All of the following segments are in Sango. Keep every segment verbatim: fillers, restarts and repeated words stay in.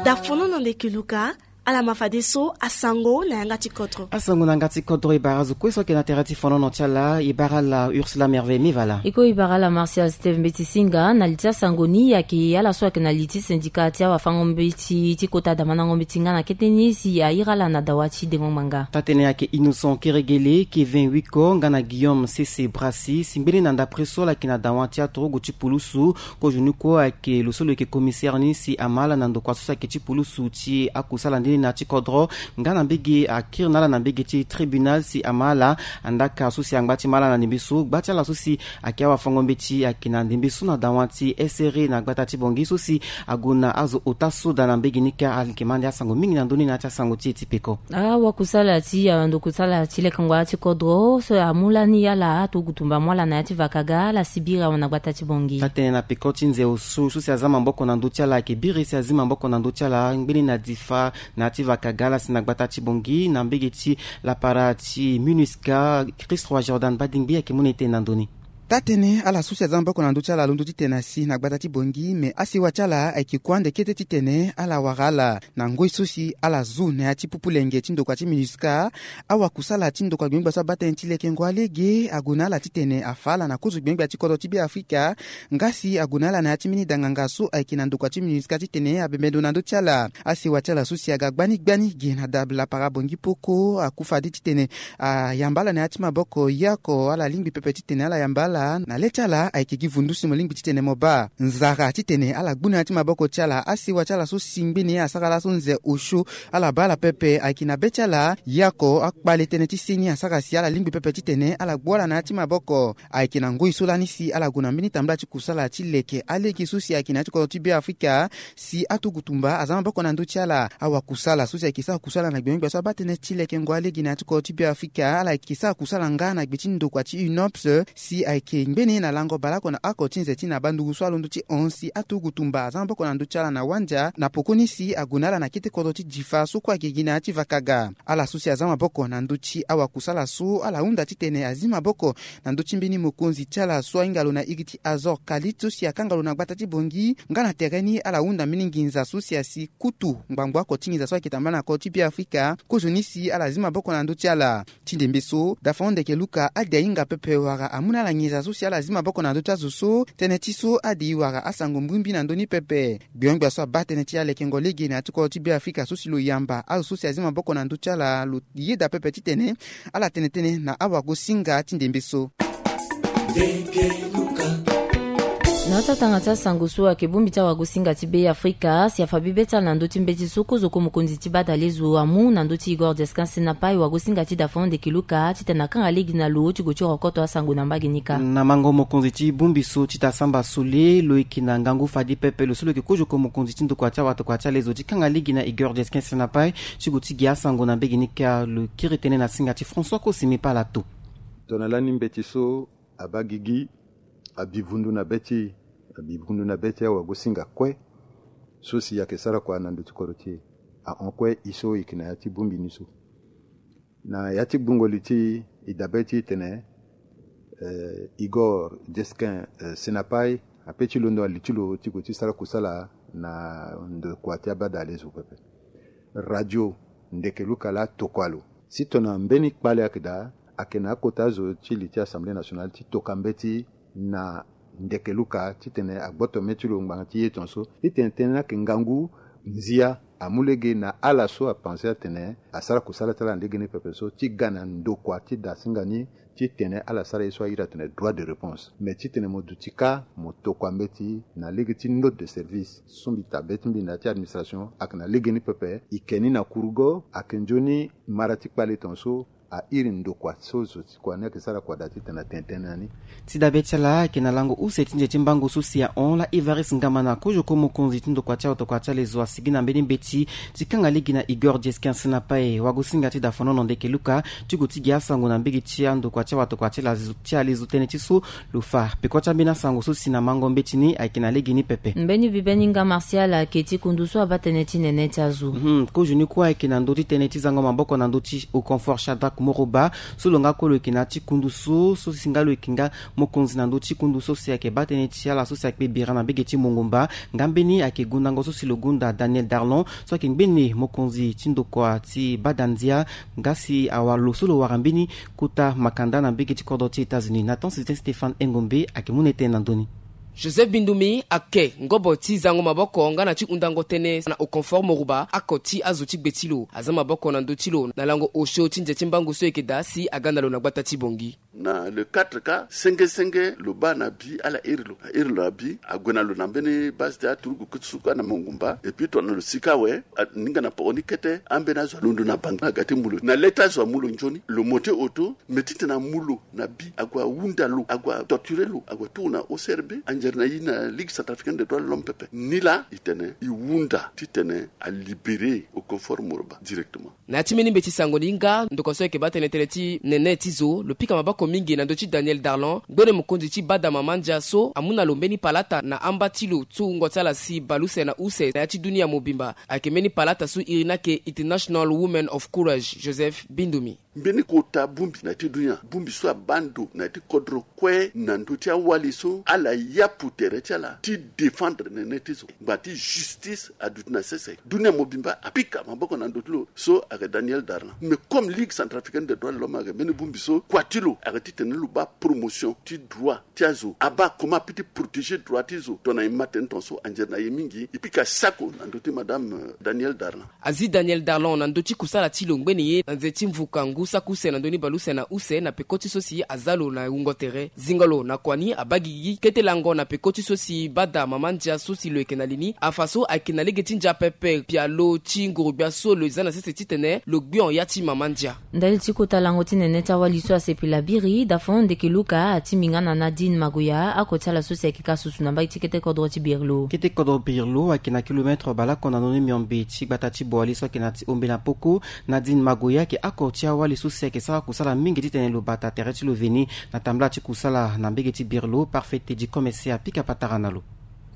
Dafono na ndeke luka. Ala ma fadeso asango na yanga ti kodro. Asango na yanga ti kodro e bara azo kue so ayeke na tere ti fonono ti ala. E bara ala Ursula Merveille Mivala. E kue e bara ala Martial Steve Mbeti Singa. Na li ti asango ni ayeke ala so ayeke na li ti syndicat ti awafango-mbeti ti kota damandango-mbeti nga na kete ni si airi ala na dawa ti dengo ngbanga. Taa-tënë ayeke Innocent Keregele, Kevin Wiko nga na Guillaume Sese Brassi, si ngbeni na ndapre so ala yeke na dawa ti aturugu ti pulusu. Kozo ni kue ayeke lo so lo yeke commissaire ni si ama ala na ndokua so si ayeke ti pulusu ti akusala nde ni na ya ti kodro, nga na mbege akiri na ala na mbege ti tribunal si ama ala. Andaka so si angba ti ma ala na ndembe so, gba ti ala so si ayeke awafango-mbeti ayeke na ndembe so na dawa ti S R A na gbata ti Bangui so si ague na azo ota soda na mbege ni kâ. Ayeke ma ande asango mingi na ndö ni na ya ti asango ti e ti peko. Awakusala ti, ah, ndokusala ti lekengo ya ti kodro so amu lani ala aturugu tumba amu ala na ya ti vakaga, ala si biri awe na gbata ti Bangui. Taa-tënë na peko ti nze osu so si aza maboko na ndö ti ala ayeke biri si azi maboko na ndö ti ala ngbeni na difa na ya ti vakaga, ala si na gbata ti Bangui na mbege ti lapara ti MINUSCA. Christ Roi Jordan Badingbi ayeke mu na e tënë na ndö ni. Taa-tënë ala so si aza maboko na ndö ti ala alondo titene asi na gbata ti Bangui, me asewa ti ala ayeke kue ande kete titene ala wara ala na ngoi so si ala zu na ya ti pupu lenge ti ndokua ti MINUSCA. Awakusala ti ndokua gbengba so abaa tënë ti lekengo alege ague na ala titene afa ala na kozo gbengba ti kodro ti Beafrika, nga si ague na ala na ya ti mbeni danganga so ayeke na ndokua ti MINUSCA titene abembe ndo na ndö ti ala. Asewa ti ala so si aga gbani gbani ge na dab lapara Bangui Poko aku fade titene ayamba ala na ya ti maboko, ye oko ala lingbi pepe titene ala yamba ala. Na le ti ala ayeke gi vundu si mo lingbi titene mo baa nzara titene ala gbu na ya ti maboko ti ala. Asewa ti ala so si ngbeni asara laso nze osio, ala baa ala pepe. Ayeke na be ti ala, ye oko akpale tënë ti seni asara si ala lingbi pepe titene ala gbu ala na ya ti maboko. Ayeke na ngoi so lani si ala gue na mbeni tambula ti kusala ti leke alege so si ayeke na ya ti kodro ti Beafrika, si aturugu tumba aza maboko na ndö ti ala. Awakusala so si ayeke sara kusala na gbengbe so abaa tënë ti lekengo alege na ya ti kodro ti Beafrika, ala yeke sara kusala nga na gbe ti ndokua ti UNOPS, si ayeke ngbeni na lango baleoko na oko ti nze ti na banduku so alondo ti hon si aturugu tumba aza maboko na ndö ti ala na wandia, na pokoni si ague na ala na kete kodro ti Difa so kue ayeke gi na ya ti vakaga. Ala so si aza maboko na ndö ti awakusala so, ala hunda titene azi maboko na ndö ti mbeni mokonzi ti ala so ahinga lo na iri ti Azor Kalit so si akanga lo na gbata ti Bangui. Nga na tere ni ala hunda mbeni nginza so si asi kutu ngbangbo oko ti nginza so ayeke tambula na kodro ti Beafrika. Kozoni si ala zi maboko na ndö ti ala. Ti ndembe so, Daphon Ndeke Luka ade ahinga pepe wala amu na ala nginza so si ala zi maboko na ndö ti azo so. Tënë ti so ade e wara asango mbirimbiri na ndö ni pepe. Gbengbia so abaa tënë ti alekengo lege na ya ti kodro ti Beafrika so si lo yamba azo so si azi maboko na ndö ti ala, lo yeda pepe titene ala tene tënë na awagosinga ti ndembe so. Na ya ti atanga ti asango so ayeke bongbi ti awagosinga ti Beafrika si afa bibe ti ala na ndö ti mbeti so kozoko mokonzi ti badalezo amu na ndö ti Igor Descan Senapai, wagosinga ti Daphon Ndeke Luka, titene akanga lege na lo ti gue ti rokoto asango na mbage ni kâ. Na mango mokonzi ti bongbi so ti Tasamba Sole, lo yeke na ngangu fade pepe lo so lo yeke kozoko mokonzi ti ndokua ti awatokua ti alezo ti kanga lege na Igor Descan Senapai ti gue ti gi asango na mbage ni kâ. Lo kiri tënë na singa ti François Kosimi Palato. Tongana lani mbeti so abaa gigi, abivundu na be ti, abivundu na be ti awagosinga kue so si ayeke sara kua na ndö ti kodro ti e. Ahon kue e so e yeke na ya ti bongbi ni so. Na ya ti gbungo li ti e dabe ti e tene, eh, Igor Descan, eh, Senapai ape ti londo na li ti lo ti gue ti sara kusala na ndokua ti abadalezo pepe. Radio Ndeke Luka laa atokua lo. Si tongana mbeni kpale ayeke daa, ayeke na akota zo ti li ti Assemblée nationale ti toka mbeti na Ndeke Luka titene agboto mê ti lo ngbanga ti ye tongaso, titene tënë ni ayeke ngangu nzia amu lege na ala so apense atene asara kusala ti ala na lege ni pepe so ti ga na ndokua ti dasinga ni, titene ala sara ye so a iri atene droit de réponse. Me titene mo duti kâ mo tokua mbeti na lege ti note de service so mbi ta be ti mbi na ya ti administration ayeke na lege ni pepe. E ke ni na kurugo, ayeke nzoni mara ti kpale tongaso, a iri ndokua so zo ti kua ni ayeke sara kua daa titene atene tënë na ni. Ti dabe ti ala ayeke na lango use ti nze ti mbango so si ahon laa Evariste Ngamana, kozoko mokonzi ti ndokua ti awatokua ti alezo, asigi na mbeni mbeti ti kanga lege na Igor Descan Senapai, wagosinga ti Daphon Ndeke Luka, ti gue ti gi asango na mbage ti andokua ti awatokua ti alezo, ti alezo tënë ti so lo fa peko ti ambeni asango so si na mango mbeti ni ayeke na lege ni pepe. Mbeni bibe ni nga Martial ayeke ti kundu so abaa tënë ti nene ti azo. Mhm, kozo ni kue ayeke na ndö ti tënë ti zango maboko na ndö ti Okonfor Shadrack Moroba so lo nga kue lo yeke na ya ti kundu so so si nga lo yeke nga mokonzi na ndö ti kundu so si ayeke baa tënë ti ala so si ayeke bira na mbege ti Mongumba. Nga mbeni ayeke gundango so si lo gunda Daniel Darlon so ayeke ngbene mokonzi ti ndokua ti bada ndia. Nga si awara lo so lo wara mbeni kota makanda na mbege ti kodro ti États-Unis, Nathan Sylvain Stéphane Engombe ayeke mu na e tënë na ndö ni. Joseph Bindumi ayeke ngobo ti zango maboko nga na ti hundango tënë na Okonfor Moroba, oko ti azo ti gbe ti lo. Aza maboko na ndö ti lo na lango osio ti nze ti mbangu so e yeke daa si aga na lo na gbata ti Bangui. Na le quatre ka, senge senge lo baa na bi ala iri lo, airi lo na bi, ague na lo na mbeni base ti aturugu kutusu kue na Mongumba, et puis tongana lo sika awe, aninga na poko ni kete, ambeni azo alondo na Bangui aga ti mu lo. Na le ti azo amu lo nzoni, lo mo ti oto, me titene amu lo na bi, ague ahunda lo, ague atorture lo, ague atuku na O C R B, anzere na e na Ligue Centrafricaine des Droits de l'Homme pepe. Nilaa e tene e hunda titene alibéré Okonfor Moroba directement. Na ya ti mbeni mbeti sango ni nga, ndokua so ayeke baa tënë tënë ti nene ti zo, lo pika maboko mingi na ndö ti Daniel Darlon, ngbene mokonzi ti bada mama ndia so amu na lo mbeni palata na amba ti lo ti wungo ti ala si baleuse na use na ya ti dunia mobimba. Ayeke mbeni palata so iri ni ayeke International Women of Courage, Joseph Bindumi. Mbeni kota bongbi na ya ti dunia, bongbi so abaa ndo na ya ti kodro kue na ndö ti awali so ala yapu tere ti ala ti défendre nene ti zo. Ngba ti justice aduti na sese. Dunia mobimba apika maboko na ndö ti lo so ayeke Daniel Darlon. Mais comme Ligue Centrafricaine des Droits de l'Homme ayeke mbeni bongbi so kua ti lo ayeke titene lo baa promotion ti droit ti azo, abaa comment apeut ti protéger droit ti zo. Tongana e ma tënë tongaso, anzere na e mingi e pika sako na ndö ti madame, euh, Daniel Darlon. Azi Daniel Darlon na ndö ti kusala ti lo ngbene ye na nze ti mvuka ngu saki use na ndö ni baleuse na use na peko ti so si aza lo na wungo tere. Zingo lo na kua ni abaa gigi kete lango na peko ti so si bada mama ndia so si lo yeke na li ni. Afa so ayeke na lege ti ndia pepe pialo ti nguru-gbia so lo za na sese titene lo gbion ya ti mama ndia. Ndali ti kota lango ti nene ti awali so asepela biri, dafon ndeke Luka atimbinga na Nadine Magoya, oko ti ala so si ayeke ka susu na mbage ti kete kodro ti Birlo. Kete kodro Birlo ayeke na kilometre baleoko na ndö ni miombe ti gbata ti Boali so ayeke na ti Ombe na Poko. Nadine Magoya ayeke oko ti awali so si ayeke sara kusala mingi titene lo bata tere ti lo veni na tambula ti kusala na mbege ti Birlo. Parfait Teddy Komese apika patara na lo.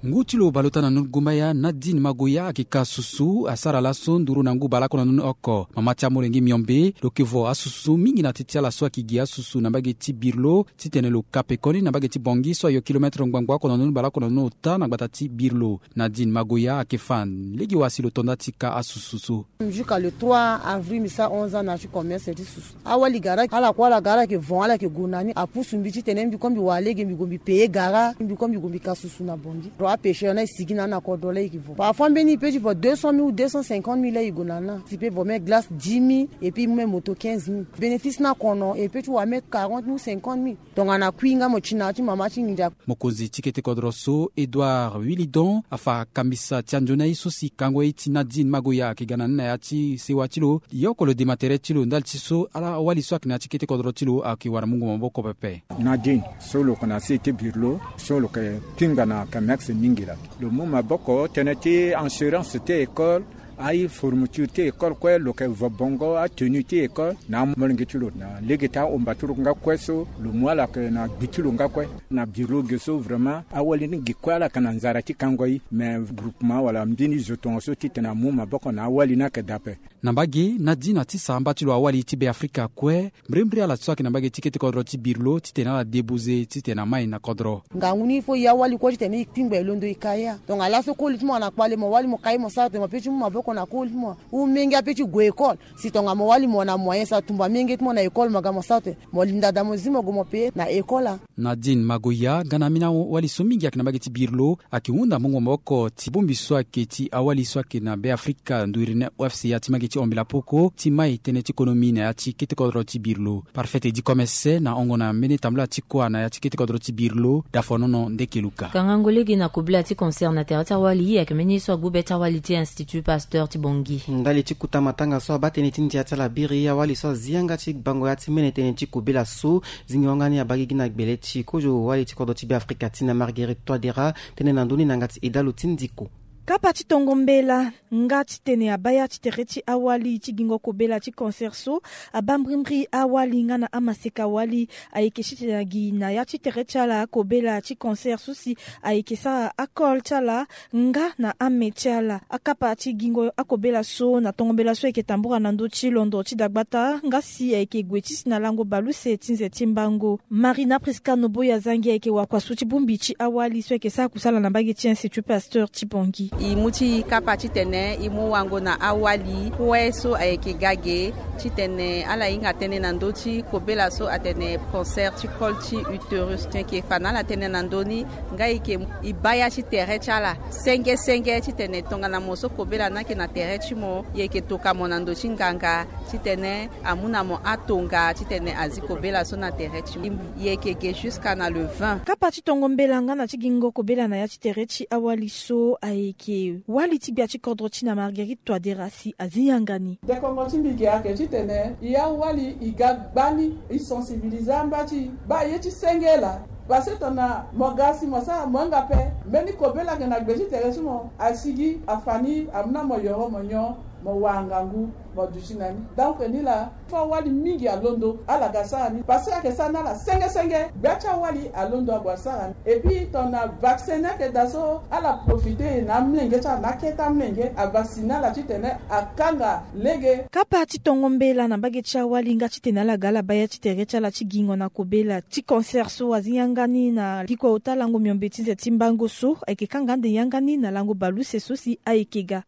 Ngu ti lo baleota na ndö ni gumbaya, Nadine Magoya ayeke ka susu, asara laso nduru na ngu baleoko na ndö ni oko. Mama ti amolenge miombe, lo yeke vo asusu mingi na ti ti ala so ayeke gi asusu na mbage ti Birlo, titene lo ka pekoni na mbage ti Bangui so ayo kilometre ngbangba oko na ndö ni baleoko na ndö ni ota na gbata ti Birlo. Nadine Magoya ayeke fa lege wa si lo to nda ti ka asusu so. Jusqu'à le trois avril, mbi sara onze ans na ya ti commerce ti susu. Awali gara, ala kue ala gara, ala yeke vo, ala yeke gue na ni. Apusu mbi titene mbi kue mbi wara lege, mbi gue mbi payer gara, mbi kue mbi gue mbi ka susu na Bangui. Ro apêcheur na e sigi na ni na kodro la e yeke vo. Parfois mbeni e peut ti vo deux cent mille ou deux cent cinquante mille la e gue na ni. Si e peut vo même glace dix mille, et puis même moto quinze mille. Bénéfice na kono, e peut ti wara même quarante mille ou cinquante mille. Tongana kui nga mo ti na ya ti mama ti nginza. Mokonzi ti kete kodro so, Edouard Willidon, afa kambisa ti anzoni aye so si kango ye ti Nadine Magoya ayeke ga na ni na ya ti sewa ti lo. Ye oko lo dema tere ti lo ndali ti so ala awali so ayeke na ya ti kete kodro ti lo ayeke wara mungo maboko pepe. Nadine so lo yeke na se ti Birlo, so lo yeke pinga na commerce mingi laa. Lo mu maboko tënë ti assurance ti école, aye fourniture ti école kue, lo yeke vo bongo atenue ti école na amolenge ti lo, na lege ti ahomba ti lo nga kue so lo mu ala yeke na gbi ti lo nga kue. Na Birlo ge so vraiment awali ni ge kue ala yeke na nzara ti kango ye, mais groupement wala mbeni zo tongaso titene amu maboko na awali ni ayeke daa ape. Na mbage, Nadine atisa amba ti lo awali ti Beafrika kue, mbrimbri ala so ayeke na mbage ti kete kodro ti Birlo titene ala débouze titene amai na kodro. Ngangu ni fo e awali kue titene e kpingba e londo e ka ya. Tongana laso koli ti mo na kpale, mo wali mo ka ye, mo sara tene mo peut ti mu maboko na koli ti mo. Ou menge apeut ti gue école. Si tongana mo wali mo na moyen, sa tumba menge ti mo na école, mo ga mo sara tene mo linda daa mo zi mo gue mo payer na école a. Nadine Magoya, nga na ambeni awali so mingi ayeke na mbage ti Birlo, ayeke hunda mungo maboko ti bongbi so ayeke ti awali so ayeke na Beafrika, nduri ni O F C A ti mbage ti Ombela Poko, ti mai tënë ti konomi na ya ti kete kodro ti Birlo. Parfait Teddy Komese na hongo na mbeni tambula ti kua na ya ti kete kodro ti Birlo, Dafonono Ndeke Luka. Kangango lege na kobela ti concert na tere ti awali, ayeke mbeni ye so agbu be ti awali ti Institut Pasteur ti Bangui. Ndali ti kota matanga so abaa tënë ti ndia ti ala biri, awali so azi yanga ti bango ya ti mene tënë ti kobela so, zingo yanga ni abaa gigi na gbele ti kozo wali ti kodro ti Beafrika ti na Marguerite Touadéra, tënë na ndö ni na yanga ti Edalo ti Ndiko. Kapa ti tongo mbela nga titene abaya ti tere ti awali ti gingo kobela ti concert so, abaa mbrimbri awali nga na amaseka wali. Ayeke titene agi na ya ti tere ti ala akobela ti concert so si ayeke sara akol ti ala nga na ame ti ala. Akapa ti gingo akobela so na tongo mbela so ayeke tambura na ndö ti londo ti dagbata nga si ayeke gue ti si na lango baleuse ti nze ti mbango. Marina Prisca Noboya Zangi ayeke wakua so ti bongbi ti awali so ayeke sara kusala na mbage ti Institut Pasteur ti Bangui. E mu ti e kapa titene e mu wango na awali kue so ayeke ga ge titene ala hinga tënë na ndö ti kobela so atene cancer ti col ti utérus. Tënë e yeke fa na ala tënë na ndö ni nga e yeke e baa ya ti tere ti ala senge senge titene tongana mo so kobela ni ayeke na tere ti mo, e yeke toka mo na ndö ti nganga titene amu na mo atonga titene azi kobela so na tere ti mo. E yeke ge jusqu'à na le vingt. Kapa ti tongo mbela nga na ti gingo kobela na ya ti tere ti awali so ayeke wali ti gbia ti kodro ti na Marguerite Touadéra si azi yanga ni. Dekongo ti mbi ge ayeke titene e awali e ga gbani, e sensibiliser amba ti e, baa ye ti senge laa. Parce que tongana mo ga si mo sara mo hinga ape, mbeni kobela ayeke na gbe ti tere ti mo, asigi afa ni amu na mo yoro mo nyon, mo wara ngangu, mo duti na ni. Donc nilaa, fo awali mingi alondo ala ga sara ni, parce que ayeke sara na ala senge senge. Gbia ti awali alondo ague asara ni. Et puis tongana vaccin ni ayeke daa so, ala profiter na amolenge ti ala na akete amolenge avacciner ala titene akanga lege. Kapa ti tongo mbela na mbage ti awali nga titene ala ga ala baa ya ti tere ti ala ti gingo na kobela ti concert so azi yanga ni na likua ota lango miombe ti nze ti mbango so ayeke kanga ande yanga ni na lango baleuse so si ayeke ga.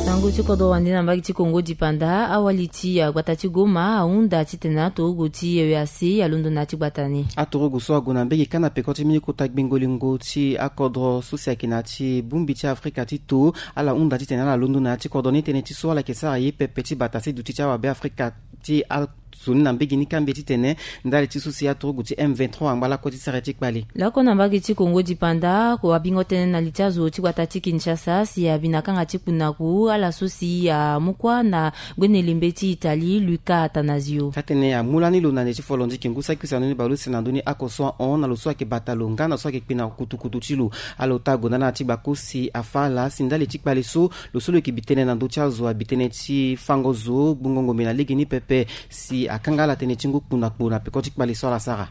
Sango ti kodro wande na mbage ti Kongo dipanda, awali ti agbata ti Goma ahunda titene atorogo ti E E A C alondo na ya ti gbata ni. Atorogo so ague na mbage kâ na peko ti mbeni kota gbengo lingo ti akodro so si ayeke na ya ti bongbi ti Afrika ti to. Ala hunda titene ala londo na ya ti kodro ni tënë ti so ala yeke sara ye pepe ti bata si duti ti awabe Afrika ti a so ni na mbage ni kâ mbi titene ndali ti so si atorogo ti M vingt-trois angba lakue ti sara ye ti kpale. Lakue na mbage ti Kongo dipanda, ko abingo tënë na li ti azo ti gbata ti Kinshasa si abi na kanga ti kpunaku ala so si amu kuâ na gbene lembe ti Italie, Luca Attanasio. Taa-tënë amu lani lo na nde ti folo nziki ngu saki use na ndö ni baleuse na ndö ni oko so ahon na lo so ayeke bata lo nga na lo so ayeke kpena kutukutu ti lo. Ala ota ague na ala na ya ti gbako si afâ ala si ndali ti kpale so lo so lo yeke bi tënë na ndö ti azo abi tënë ti fango zo gbungo ngombe na lege ni pepe si akanga ala tënë ti ngu kpunaku na peko ti kpale so ala sara.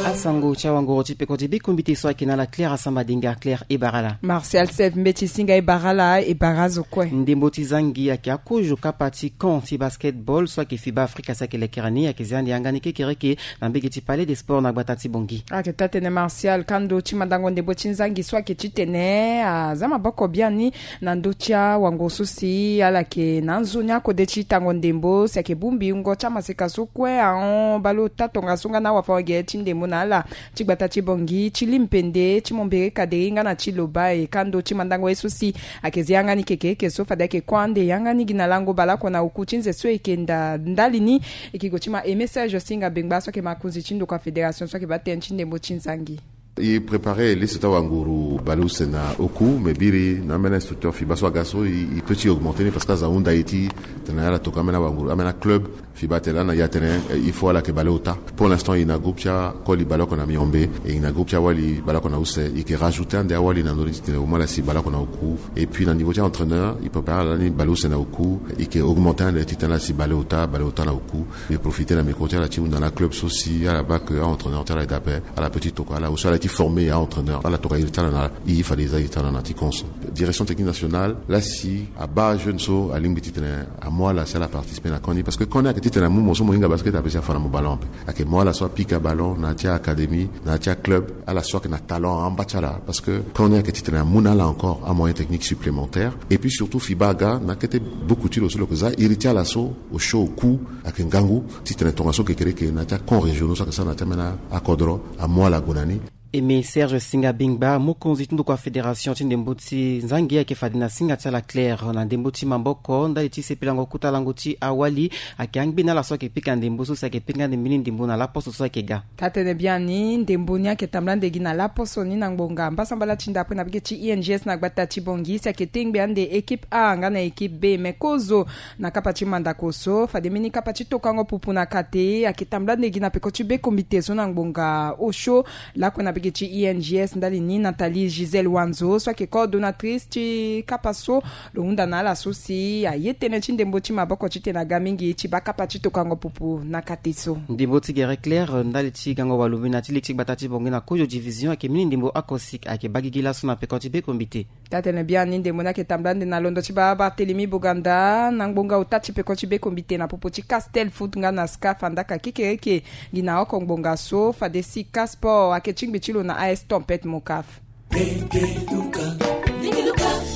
Asango ti awangoro ti peko ti bikombite so ayeke na ala Claire Asamba Dinga. Claire, e bara ala. Martial Sef Mbeti Singa, e bara ala, e bara azo kue. Ndembo ti zangi ayeke akozo kapa ti camp ti basketball so ayeke FIBA Afrika si ayeke lekere ni, ayeke zia ande yanga ni kekereke na mbage ti Palais des Sports na gbata ti Bangui. Ayeke taa-tënë Martial, kando ti mandango ndembo ti nzangi so ayeke titene aza maboko biani na ndö ti awango so si ala yeke na nzoni akode ti tango ndembo si ayeke bongbi wungo ti amaseka so kue ahon baleota tongaso nga na awafango-gere ti ndembo na ala ti gbata ti Bangui, ti Limpende, ti Mombere Kaderi nga na ti Lobaye. Kando ti mandango ye so si ayeke zi yanga ni kekereke so fade ayeke kue ande yanga ni gi na lango baleoko na oku ti nze so e yeke nda ndali ni. E yeke gue ti ma e message so hinga bengba so ayeke makonzi ti ndokua fédération so ayeke baa tënë ti ndembo ti nzangi. E préparer liste ti awanguru baleuse na oku, me biri na ambeni instructeur FIBA so aga so e, e peut ti augmenter ni parce que aza hunda e ti tene ala tokua ambeni awanguru, ambeni aclub. FIBA atene lani na e atene, eh, il faut ala yeke baleota. Pour l'instant e na groupe ti akoli baleoko na miombe, e na groupe ti awali baleoko na use, e yeke rajouter ande awali na ndö ni titene au moins ala si baleoko na oku. Et puis na niveau ti aentraîneur, e préparer ala lani baleuse na oku, e yeke augmenter ande titene ala si baleota, baleota na oku. E profiter na micro ti ala ti hunda na aclub so si ala baa ke aentraîneur ti ala e dape, ala peut ti tokua ala, ou so ala ye ti former aentraîneur, ala tokua iri ti ala na e, fade e za iri ti ala na ti camp so. Direction technique nationale laa si abaa jeune so alingbi titene amu ala si ala participer na camp ni, parce que camp ni ayeke titene amu mo so mo hinga basket ape si afa na mo ballon ape. Ayeke mu ala so apika ballon na ya ti académie, na ya ti aclub, ala so ayeke na talent amba ti ala, parce que camp ni ayeke titene amu na ala encore amoyen technique supplémentaire. Et puis surtout FIBA aga na akete buku ti lo so lo yeke za iri ti ala so osio oku ayeke ngangu titene tongaso kekereke na ya ti acamp régionaux so ayeke sara na ya ti ambeni akodro amu ala gue na ni. Aimé Serge Singa Bingba, mokonzi ti ndokua fédération ti ndembo ti Nzangi, ayeke fade na singa ti ala Claire na ndembo ti maboko ndali ti sepelango kota lango ti awali. Ayeke angbe na ala so ayeke pika ndembo so si ayeke pika ande mbeni ndembo na laposo so ayeke ga. Taa-tënë biani, ndembo ni ayeke tambula ande gi na laposo ni na ngbonga mbasambala ti ndapre na bege ti I N G S na gbata ti Bangui, si ayeke tengbe ande équipe A nga na équipe B. Me kozo na kapa ti mandako so, fade mbeni kapa ti tokango pupu na kate ayeke tambula ande gi na peko ti be kombite so na ngbonga osio lakue na bege ti I N G S ndali ni Nathalie Gisèle Wanzo so ayeke coordonnatrice ti kapa so, lo hunda na ala so si aye tënë ti ndembo ti maboko titene aga mingi ti baa kapa ti tokango pupu na kate so. Ndembo ti gere Claire ndali ti gango walo mbi na ti lege ti gbata ti Bangui na kozo division ayeke mbeni ndembo akosik ayeke baa gigi laso na peko ti be kombite. Taa-tënë biani, ndembo ni ayeke tambula ande na londo ti baa Barthélemy Boganda na ngbonga ota ti peko ti be kombite na popo ti Castel Foot nga na SCAF, andaka kekereke gi na oko ngbonga so, fade si Cassport ayeke ti ngbi ti lo na A S Tempête Mocaf.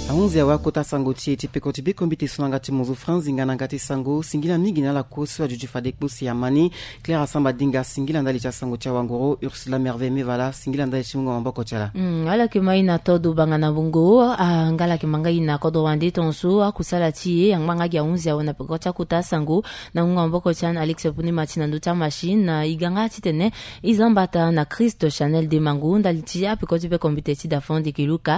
Ahunzi awe akota sango ti e ti peko ti be kombite so na yanga ti mozo Franz Nzinga na yanga ti sango. Singila mingi na ala kue so aduti fade kpo si amani. Claire Asamba Dinga, singila ndali ti asango ti awanguru. Ursula Merveille Mevala, singila ndali ti mungo maboko ti ala. Hmm, ala yeke ma e na todo banga na bongo, ah, nga ala yeke ma nga e na kodro wande tongaso akusala ti e, angba nga gi ahunzi awe na peko ti akota sango. Na mungo maboko ti ala na Alex Puni Mati na ndö ti amachine, na e ga nga titene e za mbata na Christ Chanel Demango ndali ti apeko ti be kombite ti Dafon Dekeluka.